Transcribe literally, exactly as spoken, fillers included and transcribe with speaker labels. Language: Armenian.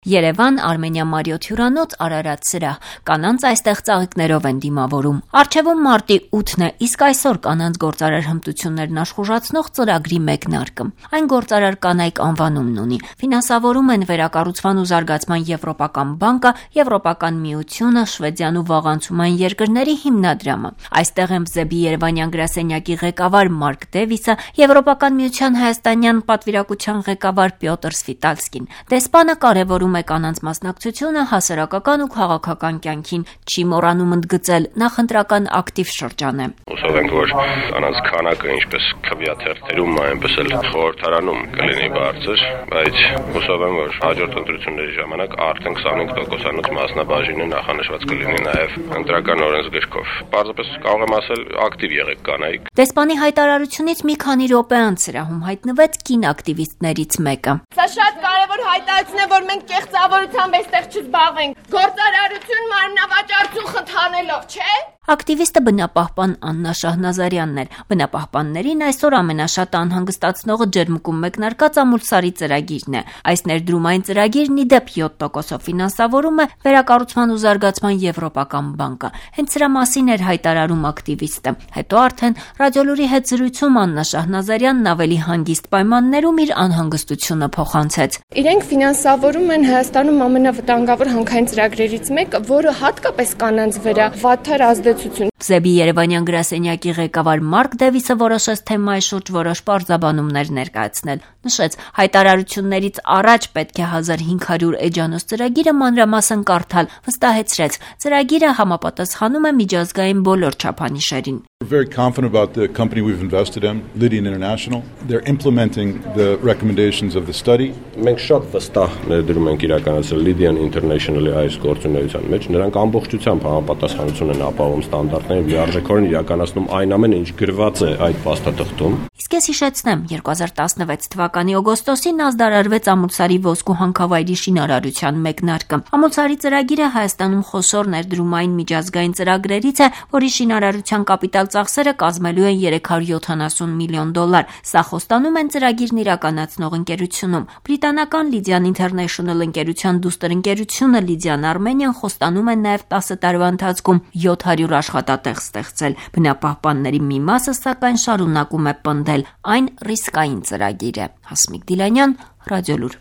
Speaker 1: Երևան, Արմենիա Մարիոթ հյուրանոց, Արարատ սրահ, կանանց այստեղ ծաղիկներով են դիմավորում։ Առջևում մարտի ութն է, իսկ այսօր կանանց գործարար հմտություններն աշխուժացնող ծրագրի մեկնարկը։ Այն գործարար կանայք անվանումն ունի։ Ֆինանսավորում են Վերակառուցման ու զարգացման Եվրոպական բանկը, Եվրոպական միությունը, Շվեդիան ու Վաղանցումային երկրների հիմնադրամը։ Այստեղ են Բզեբի երևանյան գրասենյակի ղեկավար Մարկ Դևիսը, Եվրոպական միության հայաստանյան պատվիրակության ղեկավար Պյոտր Սվիտալսկին։ Դեսպանը կարևորում է կանանց մասնակցությունը հասարակական ու քաղաքական կյանքին, չի մոռանում ընդգծել, նախընտրական ակտիվ շրջան է։
Speaker 2: Հուսով ենք, որ կանանց քանակը ինչպես քվեաթերթերում, այնպես էլ խորհրդարանում կլինի բարձր, բայց հուսով եմ, որ հաջորդ ընտրությունների ժամանակ արդեն քսանհինգ տոկոսանոց մասնաբաժինը նախանշված կլինի նաև ընտրական օրենսգրքով։ Պարզապես կարող եմ ասել, ակտիվ եղեք կանայք։
Speaker 1: Դեսպանի հայտարարությունից մի քանի րոպե անց սրահում հայտնվեց կին ակտիվիստներից մեկը։
Speaker 3: Սա շատ կարևոր հայտարարություն է, որ մենք կեղծավորությամբ այստեղ չզբաղվենք։ Գործարարություն մարմնավաճառություն խթանելով, չէ՞։
Speaker 1: Ակտիվիստը բնապահպան Աննա Շահնազարյանն էր։ Բնապահպաններին այսօր ամենաշատ անհանգստացնողը ջերմուկում մեկնարկած ամուլսարի ծրագիրն է։ Այս ներդրումային ծրագիրն ի դեպ յոթ տոկոսով ֆինանսավորում է Վերակառուցման ու զարգացման Եվրոպական բանկը։ Հենց սրա մասին էր հայտարարում ակտիվիստը։ Հետո արդեն Ռադիոլուրի հետ զրույցում Աննա Շահնազարյանն ավելի հանգիստ պայմաններում իր անհանգստությունը փոխանցեց։
Speaker 3: Իրենք ֆինանսավորում են Հայաստանում ամենավտանգավոր հանքային ծրագրերից մեկը, որը հատկապես կանանց վրա վատթար ազդեցություն։
Speaker 1: Բզեբի երևանյան գրասենյակի ղեկավար Մարկ Դևիսը որոշեց թեմայի շուրջ որոշ պարզաբանումներ ներկայացնել։ Նշեց, հայտարարություններից առաջ պետք է հազար հինգ հարյուր էջանոց ծրագիրը մանրամասն կարդալ, վստահեցրեց, ծրագիրը համապատասխանում է միջազգային բոլոր չափանիշերին։
Speaker 4: We're very confident about the company we've invested in, Lydian International. They're implementing the recommendations of the study.
Speaker 2: Մենք շատ վստահ ներդրում ենք իրականացրել Lydian International-ի այս գործունեության մեջ։ Նրանք ամբողջությամբ համապատասխանություն են ապահովում ստանդարտներին, լիարժեքորեն իրականացնում այն ամենը, ինչ գրված է այդ փաստաթղթում։
Speaker 1: Իսկ ես հիշեցնեմ, երկու հազար տասնվեց թվականի օգոստոսին ազդարարվեց Ամուլսարի ոսկու հանքավայրի շինարարության մեկնարկը։ Ամուլսարի ծրագիրը Հայաստանում խոշոր ներդրումային միջազգային ծրագրերից է, որի շինարարության կապիտալ ծախսերը կազմելու են երեք հարյուր յոթանասուն միլիոն դոլար։ Սա խոստանում են ծրագիրն իրականացնող ընկերությունում։ Բրիտանական Lydian International ընկերության դուստր ընկերությունը Lydian Armenian խոստանում են նաև տասը տարվա ընթացքում յոթ հարյուր աշխատատեղ ստեղծել։ Բնապահպանների մի մասը սակայն շարունակում է պնդել, այն ռիսկային ծրագիր է։ Հասմիկ Դիլանյան, Ռադիոլուր։